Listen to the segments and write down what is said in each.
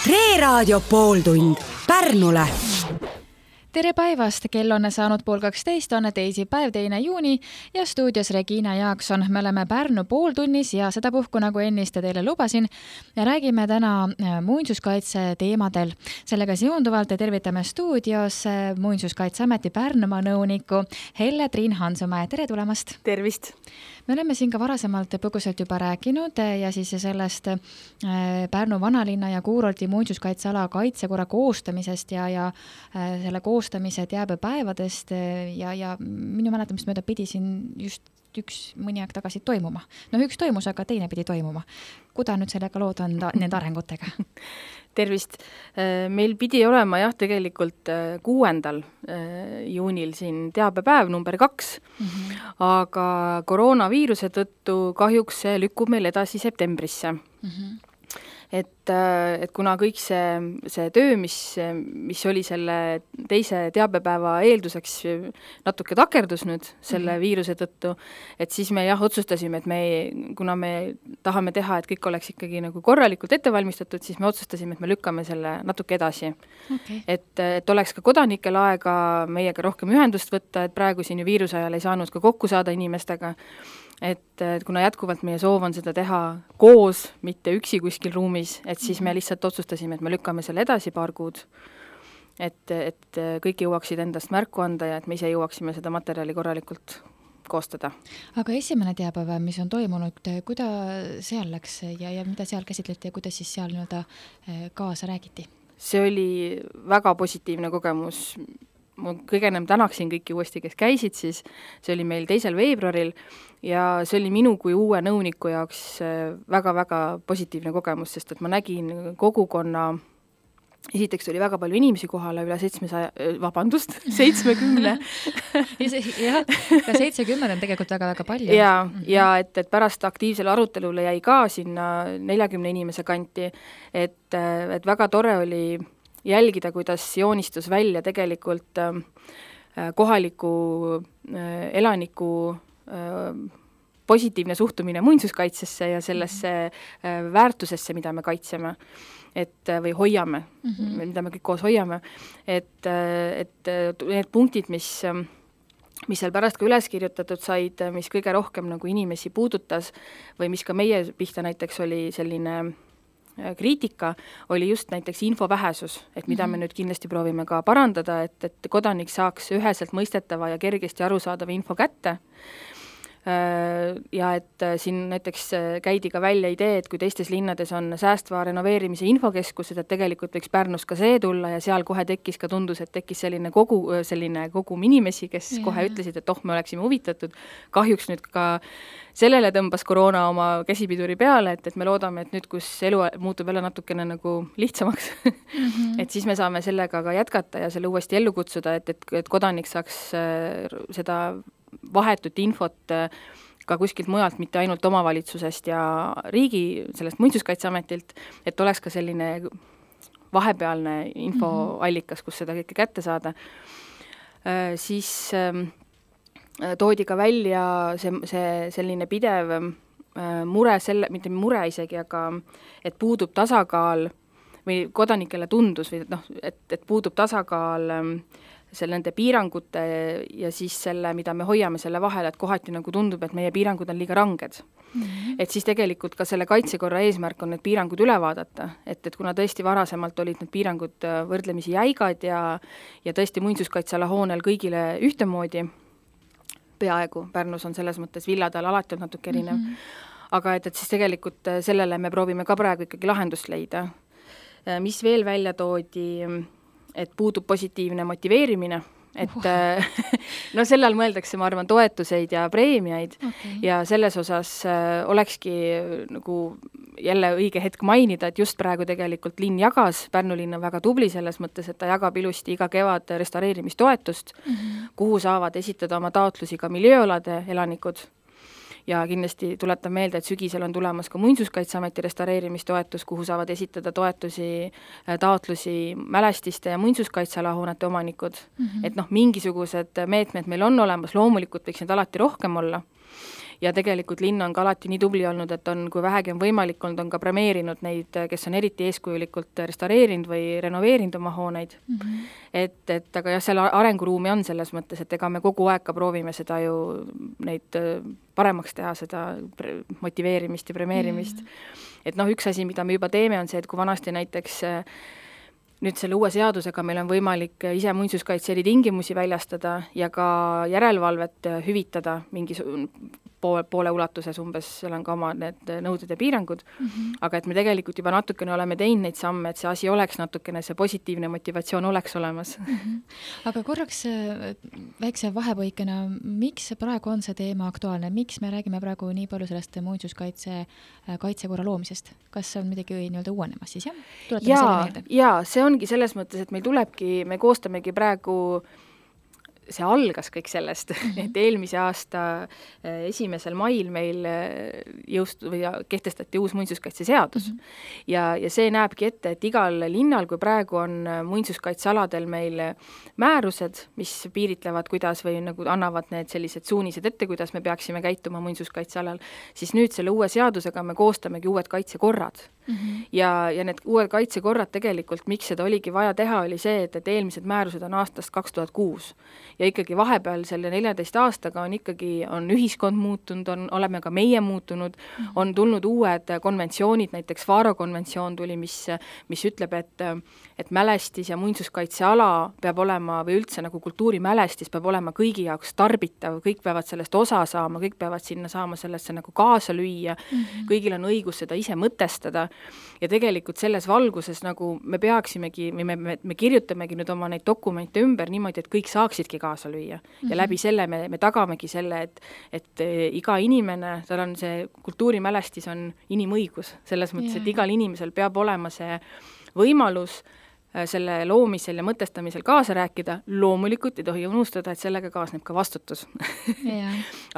Tre Raadio pooltund Pärnule. Tere päevast, kell on saanud 11:30, on teisipäev, 2. juuni ja stuudios Regina Jaakson. Me oleme Pärnu pooltunnis ja sedapuhku, nagu ennist teile lubasin, räägime täna muinsuskaitse teemadel. Sellega seonduvalt tervitame stuudios Muinsuskaitseameti Pärnumaa nõuniku Helle-Triin Hansumäe. Tere tulemast! Tervist! Me oleme siin ka varasemalt põgusalt juba rääkinud ja siis sellest Pärnu vanalinna ja kuurorti muinsuskaitseala kaitsekorra koostamisest ja selle koostamise teabepäevadest ja minu mäletamist mööda pidi siin just mõni aeg tagasi toimuma. Üks toimus, aga teine pidi toimuma. Kuda nüüd sellega lood on nende arengutega? Tervist! Meil pidi olema tegelikult 6. juunil siin teabepäev number 2, aga koroonaviiruse tõttu kahjuks see lükkub meil edasi septembrisse. Et kuna kõik see töö, mis oli selle teise teabepäeva eelduseks natuke takerdus nüüd selle viiruse tõttu, et siis me otsustasime, et kuna me tahame teha, et kõik oleks ikkagi nagu korralikult ettevalmistatud, siis me otsustasime, et me lükkame selle natuke edasi. Okay. Et oleks ka kodanikel aega meiega rohkem ühendust võtta, et praegu siin ju viiruse ajal ei saanud ka kokku saada inimestega. Et kuna jätkuvalt meie soov on seda teha koos, mitte üksi kuskil ruumis, et siis me lihtsalt otsustasime, et me lükkame selle edasi paar kuud, et kõik jõuaksid endast märku anda ja et me ise jõuaksime seda materjali korralikult koostada. Aga esimene teabepäev, mis on toimunud, kuidas seal läks ja mida seal käsitleti ja kuidas siis seal kaasa räägiti? See oli väga positiivne kogemus. Ma kõige enam tänaksin kõiki uuesti, kes käisid, siis see oli meil 2. veebruaril ja see oli minu kui uue nõuniku jaoks väga-väga positiivne kogemus, sest et ma nägin kogukonna, esiteks oli väga palju inimesi kohale, üle 70. Jah, ka 70 on tegelikult väga-väga palju. Ja et pärast aktiivsele arutelule jäi ka sinna 40 inimese kanti, et väga tore oli jälgida, kuidas joonistus välja tegelikult kohaliku elaniku positiivne suhtumine muinsuskaitsesse ja sellesse väärtusesse, mida me kaitseme või hoiame, mida me kõik koos hoiame. Et need punktid, mis seal pärast ka üles kirjutatud said, mis kõige rohkem nagu inimesi puudutas või mis ka meie pihta näiteks oli selline kriitika, oli just näiteks info vähesus, et mida me nüüd kindlasti proovime ka parandada, et kodanik saaks üheselt mõistetava ja kergesti arusaadava info kätte. Ja et siin näiteks käidi ka välja idee, et kui teistes linnades on säästva renoveerimise infokeskused, et tegelikult võiks Pärnus ka see tulla ja seal kohe tundus, et tekkis selline kogum inimesi, kes kohe ütlesid, et me oleksime huvitatud. Kahjuks nüüd ka sellele tõmbas koroona oma käsipiduri peale, et me loodame, et nüüd, kus elu muutub jälle natukene nagu lihtsamaks, et siis me saame sellega ka jätkata ja selle uuesti ellu kutsuda, et kodanik saaks seda vahetut infot ka kuskilt mujalt, mitte ainult omavalitsusest ja riigi, sellest muinsuskaitseametilt, et oleks ka selline vahepealne infoallikas, kus seda kõike kätte saada. Siis toodi ka välja see selline pidev mure, mitte mure isegi, aga et puudub tasakaal või kodanikele tundus, või et puudub tasakaal nende piirangute ja siis selle, mida me hoiame selle vahel, et kohati nagu tundub, et meie piirangud on liiga ranged. Et siis tegelikult ka selle kaitsekorra eesmärk on need piirangud üle vaadata, et kuna tõesti varasemalt olid need piirangud võrdlemisi jäigad ja tõesti muinsuskaitseala hoonel kõigile ühtemoodi, peaaegu Pärnus on selles mõttes villadel alati on natuke erinev, aga et siis tegelikult sellele me proovime ka praegu ikkagi lahendust leida. Mis veel välja toodi, et puudub positiivne motiveerimine, et selle all mõeldakse, ma arvan, toetuseid ja preemiaid ja selles osas olekski nagu jälle õige hetk mainida, et just praegu tegelikult linn jagas, Pärnu linn on väga tubli selles mõttes, et ta jagab ilusti iga kevad restaureerimistoetust, kuhu saavad esitada oma taotlusi ka miljööalade elanikud. Ja kindlasti tuletan meelde, et sügisel on tulemas ka Muinsuskaitseameti restaureerimistoetus, kuhu saavad esitada taotlusi mälestiste ja muinsuskaitsealahoonete omanikud. Et mingisugused meetmed meil on olemas, loomulikult võiks need alati rohkem olla. ja tegelikult linn on ka alati nii tubli olnud, et on, kui vähegi on võimalik olnud, on ka premeerinud neid, kes on eriti eeskujulikult restaureerinud või renoveerinud oma hooneid. Et aga jah, seal arenguruumi on selles mõttes, et ega me kogu aeg ka proovime seda ju neid paremaks teha, seda motiveerimist ja premeerimist. Et üks asi, mida me juba teeme, on see, et kui vanasti näiteks nüüd selle uue seadusega meil on võimalik ise muinsuskaitse eritingimusi väljastada ja ka järelevalvet hüvitada mingi poole ulatuses umbes, seal on ka oma need nõuded ja piirangud, aga et me tegelikult juba natukene oleme teinud neid samme, et see asi oleks natukene, see positiivne motivatsioon oleks olemas. Aga korraks väikse vahepõikena, miks praegu on see teema aktuaalne? Miks me räägime praegu nii palju sellest muinsuskaitse kaitsekorra loomisest? Kas see on midagi nii-öelda uuenemas siis, jah? Ja see ongi selles mõttes, et me koostamegi praegu, see algas kõik sellest, et eelmise aasta 1. mail meil kehtestati uus muinsuskaitseseadus. Ja see näebki ette, et igal linnal, kui praegu on muinsuskaitsealadel meil määrused, mis piiritlevad, kuidas või nagu annavad need sellised suunised ette, kuidas me peaksime käituma muinsuskaitsealal, siis nüüd selle uue seadusega me koostamegi uued kaitsekorrad. Ja need uued kaitsekorrad tegelikult, miks seda oligi vaja teha, oli see, et eelmised määrused on aastast 2006 ja ikkagi vahepeal selle 14 aastaga on ühiskond muutunud, oleme ka meie muutunud, on tulnud uued konventsioonid, näiteks Faro konventsioon tuli, mis ütleb, et mälestis ja muinsuskaitseala peab olema või üldse nagu kultuurimälestis peab olema kõigi jaoks tarbitav, kõik peavad sellest osa saama, kõik peavad sinna saama sellesse nagu kaasa lüüa, kõigil on õigus seda ise mõtestada. Ja tegelikult selles valguses nagu me peaksimegi, me kirjutamegi nüüd oma neid dokumente ümber niimoodi, et kõik saaksidki kaasa lüüa. Ja läbi selle me tagamegi selle, et iga inimene, tal on see kultuurimälestis on inimõigus, selles mõttes, et igal inimesel peab olema see võimalus selle loomisel ja mõtestamisel kaasa rääkida, loomulikult ei tohi unustada, et sellega kaasneb ka vastutus.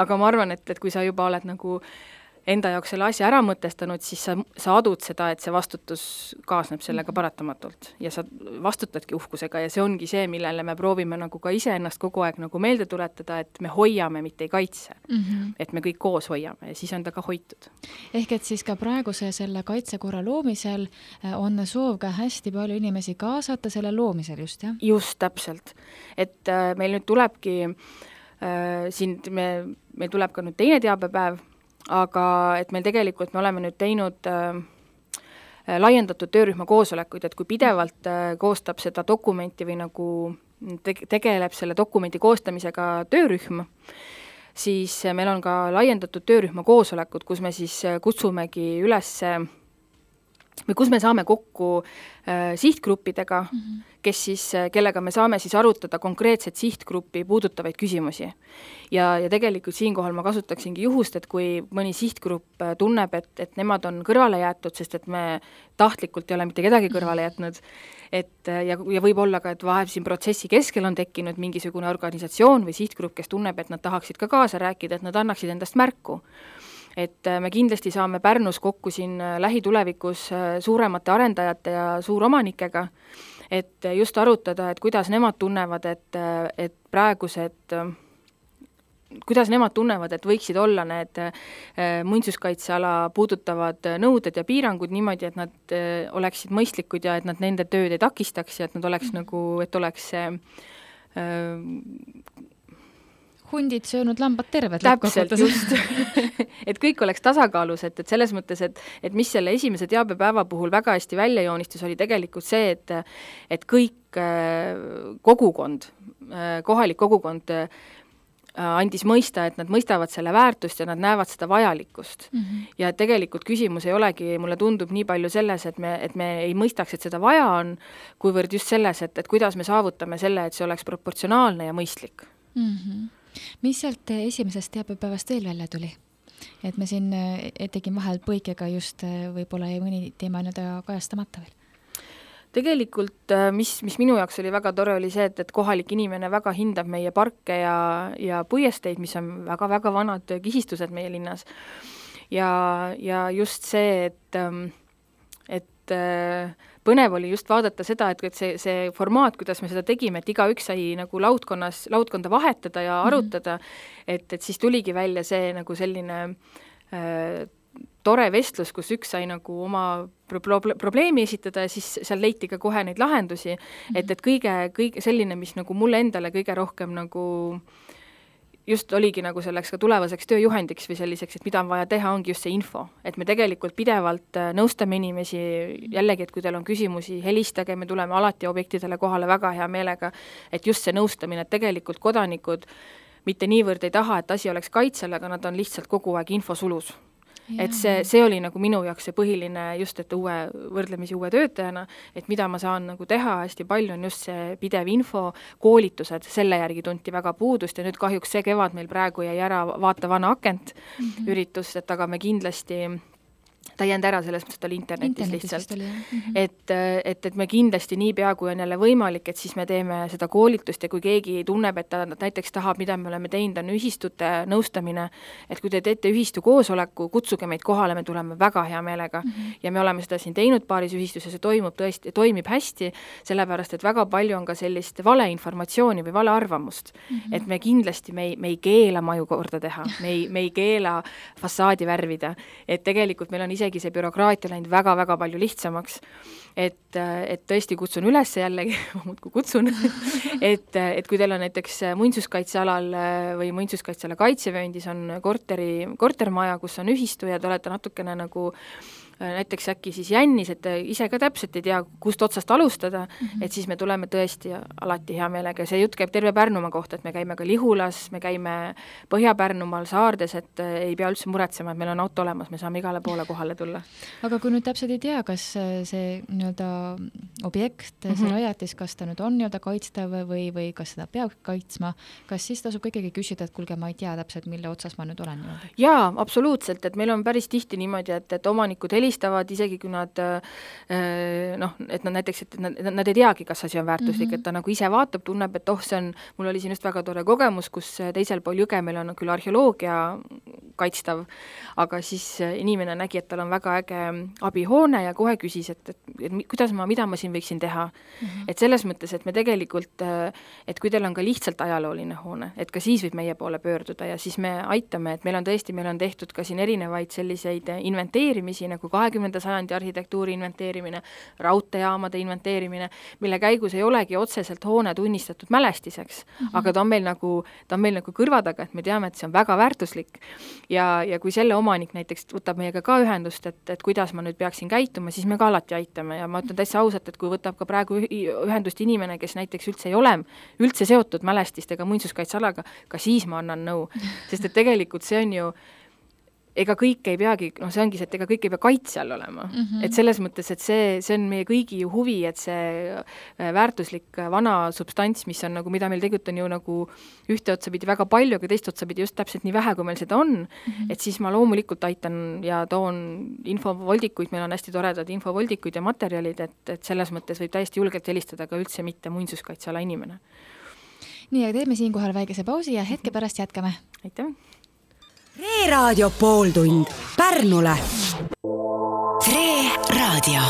Aga ma arvan, et kui sa juba oled nagu enda jaoks selle asja ära mõtestanud, siis sa adud seda, et see vastutus kaasneb sellega paratamatult ja sa vastutadki uhkusega ja see ongi see, millele me proovime nagu ka ise ennast kogu aeg nagu meelde tuletada, et me hoiame, mitte ei kaitse. Et me kõik koos hoiame ja siis on ta ka hoitud. Ehk et siis ka praeguse selle kaitsekorra loomisel on soov ka hästi palju inimesi kaasata selle loomisel just, jah? Just, täpselt. Et meil nüüd tulebki meil tuleb ka nüüd teine teabepäev, aga et meil tegelikult me oleme nüüd teinud laiendatud töörühma koosolekuid, et kui pidevalt koostab seda dokumenti või nagu tegeleb selle dokumenti koostamisega töörühm, siis meil on ka laiendatud töörühma koosolekud, kus me siis kutsumegi üles või kus me saame kokku sihtgruppidega, kellega me saame siis arutada konkreetset sihtgruppi puudutavaid küsimusi. Ja tegelikult siinkohal ma kasutaksingi juhust, et kui mõni sihtgrupp tunneb, et nemad on kõrvale jäetud, sest et me tahtlikult ei ole mitte kedagi kõrvale jätnud, ja võib olla ka, et vahel siin protsessi keskel on tekkinud mingisugune organisatsioon või sihtgrupp, kes tunneb, et nad tahaksid ka kaasa rääkida, et nad annaksid endast märku. Et me kindlasti saame Pärnus kokku siin lähitulevikus suuremate arendajate ja suuromanikega, et just arutada, et kuidas nemad tunnevad, et praegused, kuidas nemad tunnevad, et võiksid olla need muinsuskaitseala puudutavad nõuded ja piirangud niimoodi, et nad oleksid mõistlikud ja et nad nende tööd ei takistaks ja et nad oleks nagu, et oleks see hundid söönud lambad terved. Täpselt, just. Et kõik oleks tasakaalus, et selles mõttes, et mis selle esimese teabepäeva puhul väga hästi välja joonistus, oli tegelikult see, et kõik kogukond, kohalik kogukond andis mõista, et nad mõistavad selle väärtust ja nad näevad seda vajalikkust. Ja tegelikult küsimus ei olegi, mulle tundub nii palju selles, et me ei mõistaks, et seda vaja on, kuivõrd just selles, et kuidas me saavutame selle, et see oleks proportsionaalne ja mõistlik. Mis sealt esimesest teabepäevast veel välja tuli? Et me siin tegin vahel põikega just võib-olla mõni teema kajastamata veel. Tegelikult, mis minu jaoks oli väga tore, oli see, et kohalik inimene väga hindab meie parke ja puiesteid, mis on väga-väga vanad kihistused meie linnas. Ja just see, et põnev oli just vaadata seda, et see formaat, kuidas me seda tegime, et igaüks sai nagu laudkonda vahetada ja arutada, et siis tuligi välja see nagu selline tore vestlus, kus üks sai nagu oma probleemi esitada ja siis seal leiti ka kohe neid lahendusi, et kõige selline, mis nagu mulle endale kõige rohkem nagu just oligi nagu selleks ka tulevaseks tööjuhendiks või selliseks, et mida on vaja teha, ongi just see info. Et me tegelikult pidevalt nõustame inimesi, jällegi, et kui teil on küsimusi, helistage, me tuleme alati objektidele kohale väga hea meelega, et just see nõustamine, et tegelikult kodanikud mitte niivõrd ei taha, et asi oleks kaitsel, aga nad on lihtsalt kogu aeg infosulus. Et see oli nagu minu jaoks see põhiline just, et võrdlemisi uue töötajana, et mida ma saan nagu teha hästi palju on just see pidev info, koolitused, selle järgi tunti väga puudust ja nüüd kahjuks see kevad meil praegu jäi ära vaata vana akent üritus, et aga me kindlasti ta jäänud ära selles mõttes, et oli internetis lihtsalt. Et me kindlasti niipea, kui on jälle võimalik, et siis me teeme seda koolitust ja kui keegi tunneb, et ta näiteks tahab, mida me oleme teinud, on ühistute nõustamine, et kui te teete ühistu koosoleku, kutsuge meid kohale, me tuleme väga hea meelega ja me oleme seda siin teinud paaris ühistus ja see toimib hästi, sellepärast, et väga palju on ka sellist valeinformatsiooni või valearvamust, et me kindlasti me ei keela maju korda teha, me ei keela fassaadi värvida, et tegelikult meil on isegi see bürokraatia läinud väga-väga palju lihtsamaks, et tõesti kutsun üles jällegi, muudkui kutsun, et kui teil on näiteks muinsuskaitsealal või muinsuskaitseala kaitsevööndis on kortermaja, kus on ühistu ja te olete natukene nagu näiteks äkki siis jännis, et ise ka täpselt ei tea, kust otsast alustada, et siis me tuleme tõesti alati hea meelega. See jutt käib terve Pärnumaa kohta, et me käime ka Lihulas, me käime Põhja-Pärnumaal, Saardes, et ei pea üldse muretsema, et meil on auto olemas, me saame igale poole kohale tulla. Aga kui nüüd täpselt ei tea, kas see nii-öelda objekt, see rajatis, kas ta nüüd on nii-öelda kaitstav või kas seda peab kaitsma, kas siis tasub ikkagi küsida, et kuulge, ma ei tea täpselt, mille otsas ma nüüd olen? Jaa, absoluutselt, et meil on päris tihti niimoodi, et omanikud helistavad, isegi kui nad et nad näiteks, et nad ei teagi, kas asi on väärtuslik, et ta nagu ise vaatab, tunneb, et see on, mul oli siin just väga tore kogemus, kus teisel pool jõge meil on küll arheoloogia kaitstav, aga siis inimene nägi, et tal on väga äge abihoone ja kohe küsis, et mida ma siin võiksin teha. Et selles mõttes, et me tegelikult, et kui teil on ka lihtsalt ajalooline hoone, et ka siis võib meie poole pöörduda ja siis me aitame, et meil on tehtud ka siin erinevaid selliseid inventeerimisi, nagu 20. sajandi arhitektuuri inventeerimine, raudteejaamade inventeerimine, mille käigus ei olegi otseselt hoone tunnistatud mälestiseks, aga ta on meil nagu kõrva taga, et me teame, et see on väga väärtuslik ja kui selle omanik näiteks võtab meiega ka ühendust, et kuidas ma nüüd peaksin käituma, siis me ka alati aitame ja ma ütlen täitsa ausalt, et kui võtab ka praegu ühendust inimene, kes näiteks üldse ei ole üldse seotud mälestistega muinsuskaitsealaga, ka siis ma annan nõu, sest et tegelikult see on ju ega kõik ei peagi, see ongi see, et ega kõik ei pea kaitse all olema. Et selles mõttes, et see on meie kõigi ju huvi, et see väärtuslik vana substants, mis on nagu, mida meil tegelikult on ju nagu ühte otsapidi väga palju, aga teist otsapidi just täpselt nii vähe, kui meil seda on, et siis ma loomulikult aitan ja toon infovoldikuid, meil on hästi toredad infovoldikuid ja materjalid, et selles mõttes võib täiesti julgelt helistada ka üldse mitte muinsuskaitseala inimene. Nii, aga teeme siinkohal väikese pausi ja hetke pärast jätkame. Aitäh! Raadio pooltund Pärnule. Raadio.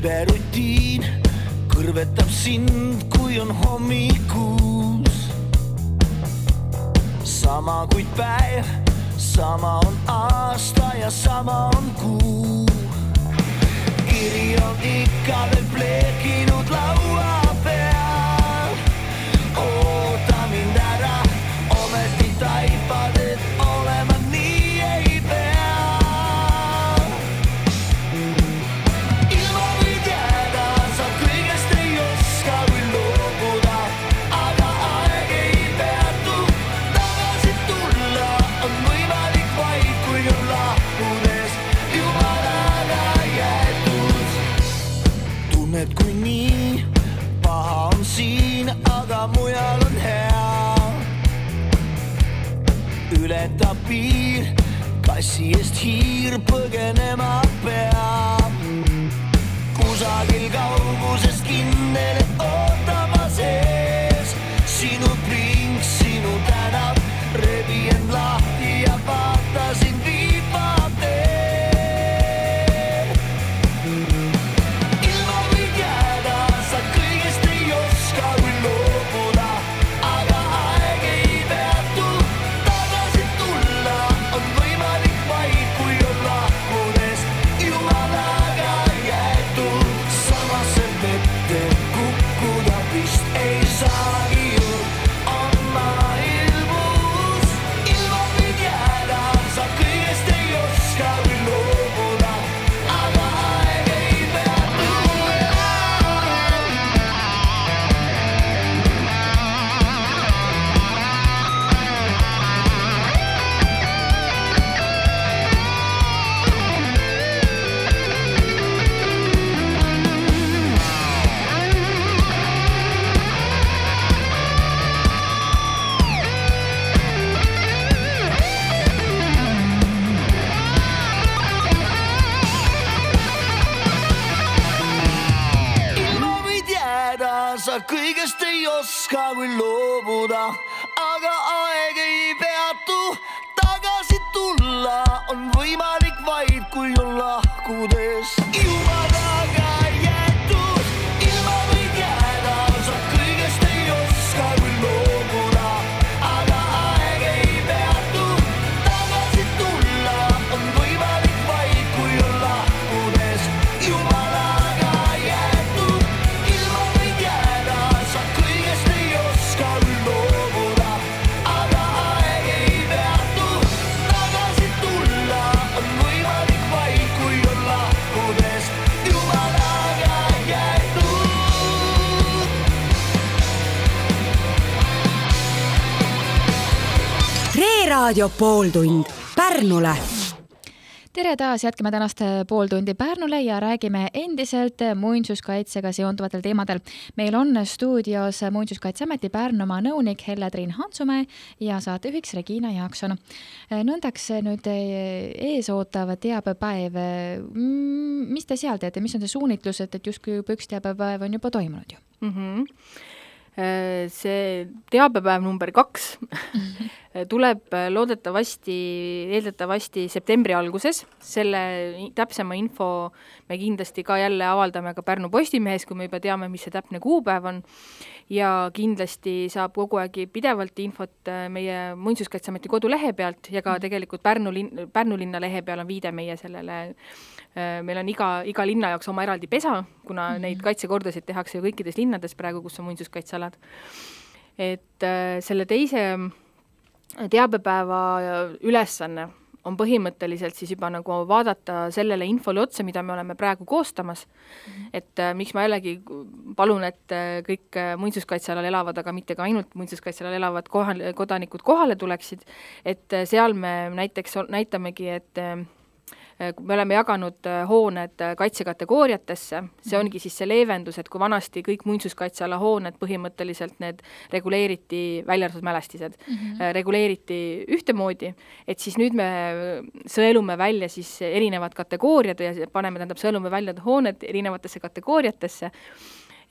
Rutiin kõrvetab sind, kui on hommikuus. Sama kuid päev, sama on aasta ja sama on kuu. Kiri on ikka veel pleekinud laua peal. Oota mind ära, ometi taipad, et olema nii ei pea. ületab piir, kassi eest hiir põgenema peab. Kusagil kauguses kindel, et ootama sees sinu pring, sinu tänav, rebi end lahti ja vaata sind viiba teel. Ilma võid jääda, sa kõigest ei oska kui loobuda, aga aeg ei peatu, tagasi tulla on võimalik vaid, kui on lahkudes jumalaga jäetud. Samasse vette kukkuda vist ei saagi ju, on maailmus. Ilma võid jääda, sa kõigest ei oska kui loobuda, aga aeg ei peatu. Ilma võid jääda, sa kõigest ei oska kui loobuda, aga aeg ei peatu, tagasi tulla on võimalik vaid, kui on lahkudes jumalaga jäetud. Ilma võid jääda, sa kõigest ei oska kui loobuda, aga aeg ei peatu, tagasi tulla on võimalik vaid, kui on lahkudes jumalaga jäetud. Ilma võid jääda, sa kõigest ei oska kui loobuda, aga aeg ei peatu, tagasi tulla on võimalik vaid, kui on lahkudes jumalaga jäetud. Reeraadio pooltund Pärnule. tere taas, jätkame tänast pool tundi Pärnule ja räägime endiselt muinsuskaitsega seonduvatel teemadel. Meil on stuudios Muinsuskaitseameti Pärnumaa nõunik Helle-Triin Hantsumäe ja saatejuhiks Regina Jaakson. Nõndaks nüüd ees ootav teabepäev. Mis te seal teete? Mis on see suunitlus, et justkui juba üks teabepäev on juba toimunud ju? See teabepäev number 2 tuleb eeldatavasti septembri alguses. Selle täpsema info me kindlasti ka jälle avaldame ka Pärnu Postimehes, kui me juba teame, mis see täpne kuupäev on. Ja kindlasti saab kogu aeg pidevalt infot meie Muinsuskaitseameti kodulehe pealt ja ka tegelikult Pärnu linna lehe peal on viide meie sellele. Meil on iga linna jaoks oma eraldi pesa, kuna neid kaitsekordasid tehakse ju kõikides linnades praegu, kus on muinsuskaitsealad. Et selle teise teabepäeva ülesanne on põhimõtteliselt siis juba nagu vaadata sellele infole otsa, mida me oleme praegu koostamas. Et miks ma jällegi palun, et kõik muinsuskaitsealal elavad, aga mitte ka ainult muinsuskaitsealal elavad kodanikud kohale tuleksid. Et seal me näiteks näitamegi, et me oleme jaganud hooned kaitsekategooriatesse, see ongi siis see leevendus, et kui vanasti kõik muinsuskaitseala hooned põhimõtteliselt need reguleeriti, välja arvatud mälestised, reguleeriti ühtemoodi, et siis nüüd me sõelume välja siis erinevad kategooriad ja paneme, sõelume välja hooned erinevatesse kategooriatesse,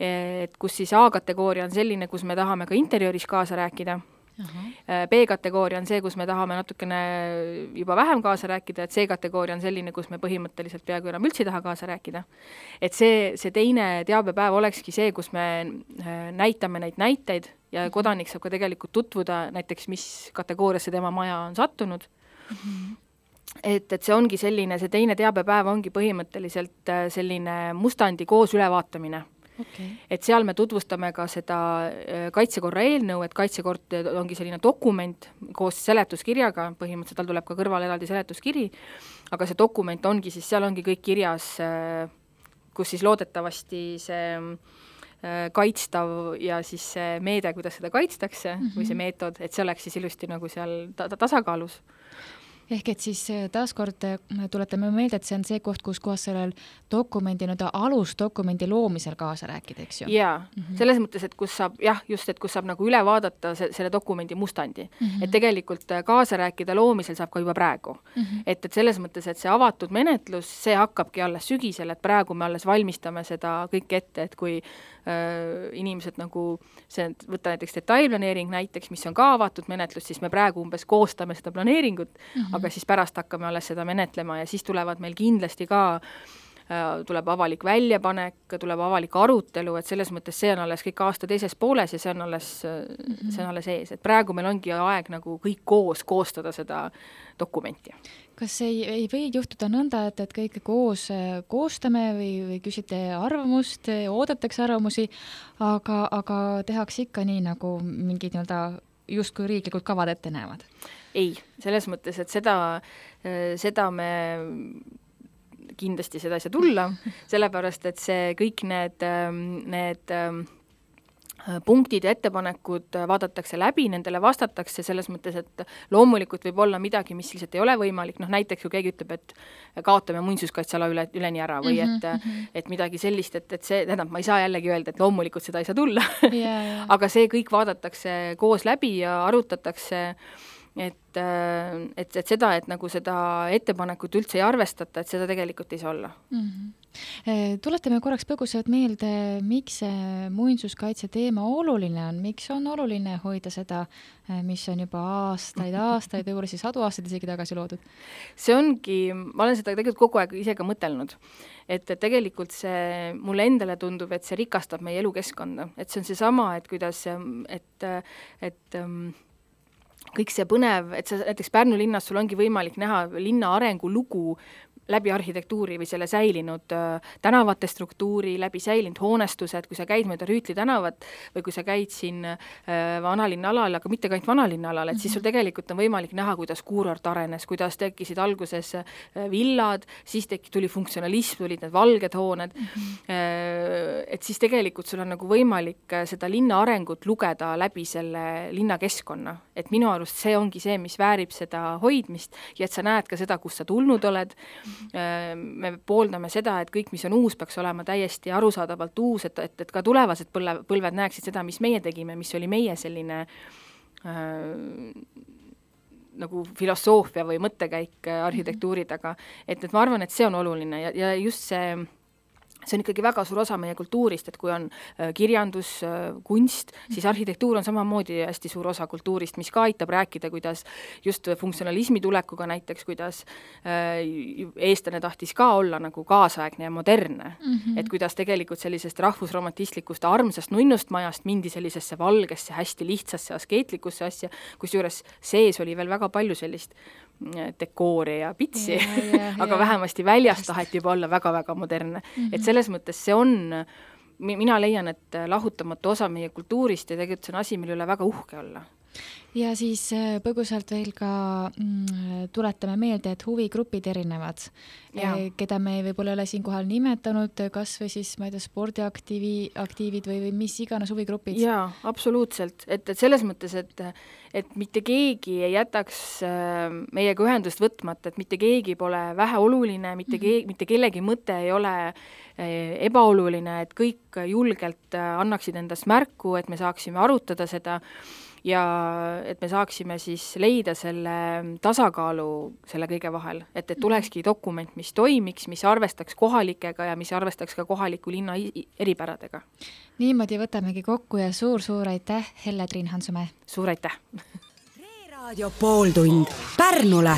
et kus siis A-kategooria on selline, kus me tahame ka interiooris kaasa rääkida. B-kategooria on see, kus me tahame natukene juba vähem kaasa rääkida, et C-kategooria on selline, kus me põhimõtteliselt peaaegu enam üldse taha kaasa rääkida. Et see teine teabepäev olekski see, kus me näitame neid näiteid ja kodanik saab ka tegelikult tutvuda näiteks, mis kategooriasse tema maja on sattunud. Et see ongi selline, see teine teabepäev ongi põhimõtteliselt selline mustandi koos ülevaatamine. Okay. Et seal me tutvustame ka seda kaitsekorra eelnõu, et kaitsekord ongi selline dokument koos seletuskirjaga, põhimõtteliselt tal tuleb ka kõrval eraldi seletuskiri, aga see dokument ongi siis, seal ongi kõik kirjas, kus siis loodetavasti see kaitstav ja siis see meede, kuidas seda kaitstakse või see meetod, et see oleks siis ilusti nagu seal tasakaalus. Ehk et siis taaskord tuletame meelde, et see on see koht, kus kohas sellel dokumendi, alusdokumendi loomisel kaasa rääkida, eks ju? Jaa, selles mõttes, et kus saab, kus saab nagu üle vaadata selle dokumendi mustandi. Et tegelikult kaasa rääkida loomisel saab ka juba praegu. Et selles mõttes, et see avatud menetlus, see hakkabki alles sügisel, et praegu me alles valmistame seda kõik ette, et kui inimesed nagu, võtta näiteks detailplaneering näiteks, mis on ka avatud menetlus, siis me praegu umbes koostame seda planeeringut, aga siis pärast hakkame alles seda menetlema ja siis tulevad meil kindlasti ka, tuleb avalik väljapanek, tuleb avalik arutelu, et selles mõttes see on alles kõik aasta teises pooles ja see on alles ees. Et praegu meil ongi aeg nagu kõik koos koostada seda dokumenti. Kas ei või juhtuda nõnda, et kõik koos koostame või küsite arvamust, oodatakse arvamusi, aga tehakse ikka nii, nagu mingid justkui riiklikud kavad ette näevad? Ei, selles mõttes, et seda me kindlasti seda ei saa tulla, sellepärast, et see kõik need punktid ja ettepanekud vaadatakse läbi, nendele vastatakse selles mõttes, et loomulikult võib olla midagi, mis lihtsalt ei ole võimalik, näiteks kui keegi ütleb, et kaotame muinsuskaitseala üleni ära või et midagi sellist, et see, tähendab, ma ei saa jällegi öelda, et loomulikult seda ei saa tulla, aga see kõik vaadatakse koos läbi ja arutatakse, et seda, et nagu seda ettepanekut üldse ei arvestata, et seda tegelikult ei saa olla. Tuletame korraks põgusalt meelde, miks see muinsuskaitse teema oluline on, miks on oluline hoida seda, mis on juba aastaid, võib-olla siis 100 aastaid isegi tagasi loodud? See ongi, ma olen seda tegelikult kogu aeg ise ka mõtelnud, et tegelikult see mulle endale tundub, et see rikastab meie elukeskkonda, et see on seesama, et kuidas, et kõik see põnev, et sa näiteks Pärnu linnas sul ongi võimalik näha linna arengu lugu läbi arhitektuuri või selle säilinud tänavate struktuuri, läbi säilinud hoonestused, kui sa käid mööda Rüütli tänavat või kui sa käid siin vanalinna alal, aga mitte ka ainult vanalinna alal, et siis sul tegelikult on võimalik näha, kuidas kuurort arenes, kuidas tekkisid alguses villad, siis tuli funktsionalism, tulid need valged hooned, et siis tegelikult sul on nagu võimalik seda linna arengut lugeda läbi selle linnakeskkonna, et minu arust see ongi see, mis väärib seda hoidmist ja et sa näed ka seda, kus sa tulnud oled. Me pooldame seda, et kõik, mis on uus, peaks olema täiesti arusaadavalt uus, et ka tulevased põlved näeksid seda, mis meie tegime, mis oli meie selline nagu filosoofia või mõttekäik arhitektuuri taga. Et ma arvan, et see on oluline ja just see on ikkagi väga suur osa meie kultuurist, et kui on kirjandus, kunst, siis arhitektuur on samamoodi hästi suur osa kultuurist, mis ka aitab rääkida, kuidas just funktsionalismi tulekuga näiteks, kuidas eestlane tahtis ka olla nagu kaasaegne ja modernne. Et kuidas tegelikult sellisest rahvusromantistlikust armsast nunnust majast mindi sellisesse valgesse, hästi lihtsasse, askeetlikusse asja, kus juures sees oli veel väga palju sellist dekoori ja pitsi, aga vähemasti väljast taheti juba olla väga-väga modernne. Et selles mõttes see on, mina leian, et lahutamatu osa meie kultuurist ja tegelikult see on asi, mille üle väga uhke olla. Ja siis põgusalt veel ka tuletame meelde, et huvigrupid erinevad, keda me võib-olla ole siin kohal nimetanud, kas või siis, ma ei tea, spordiaktiivid või mis iganes huvigrupid. Jaa, absoluutselt. Et selles mõttes, et mitte keegi ei jätaks meiega ühendust võtmata, et mitte keegi pole väheoluline, mitte kellegi mõte ei ole ebaoluline, et kõik julgelt annaksid endast märku, et me saaksime arutada seda ja et me saaksime siis leida selle tasakaalu selle kõige vahel, et tulekski dokument, mis toimiks, mis arvestaks kohalikega ja mis arvestaks ka kohaliku linna eripäradega. Niimoodi võtamegi kokku ja suur-suur aitäh, Helle Triin Hansumäe! Suur aitäh! Raadio pooltund Pärnule!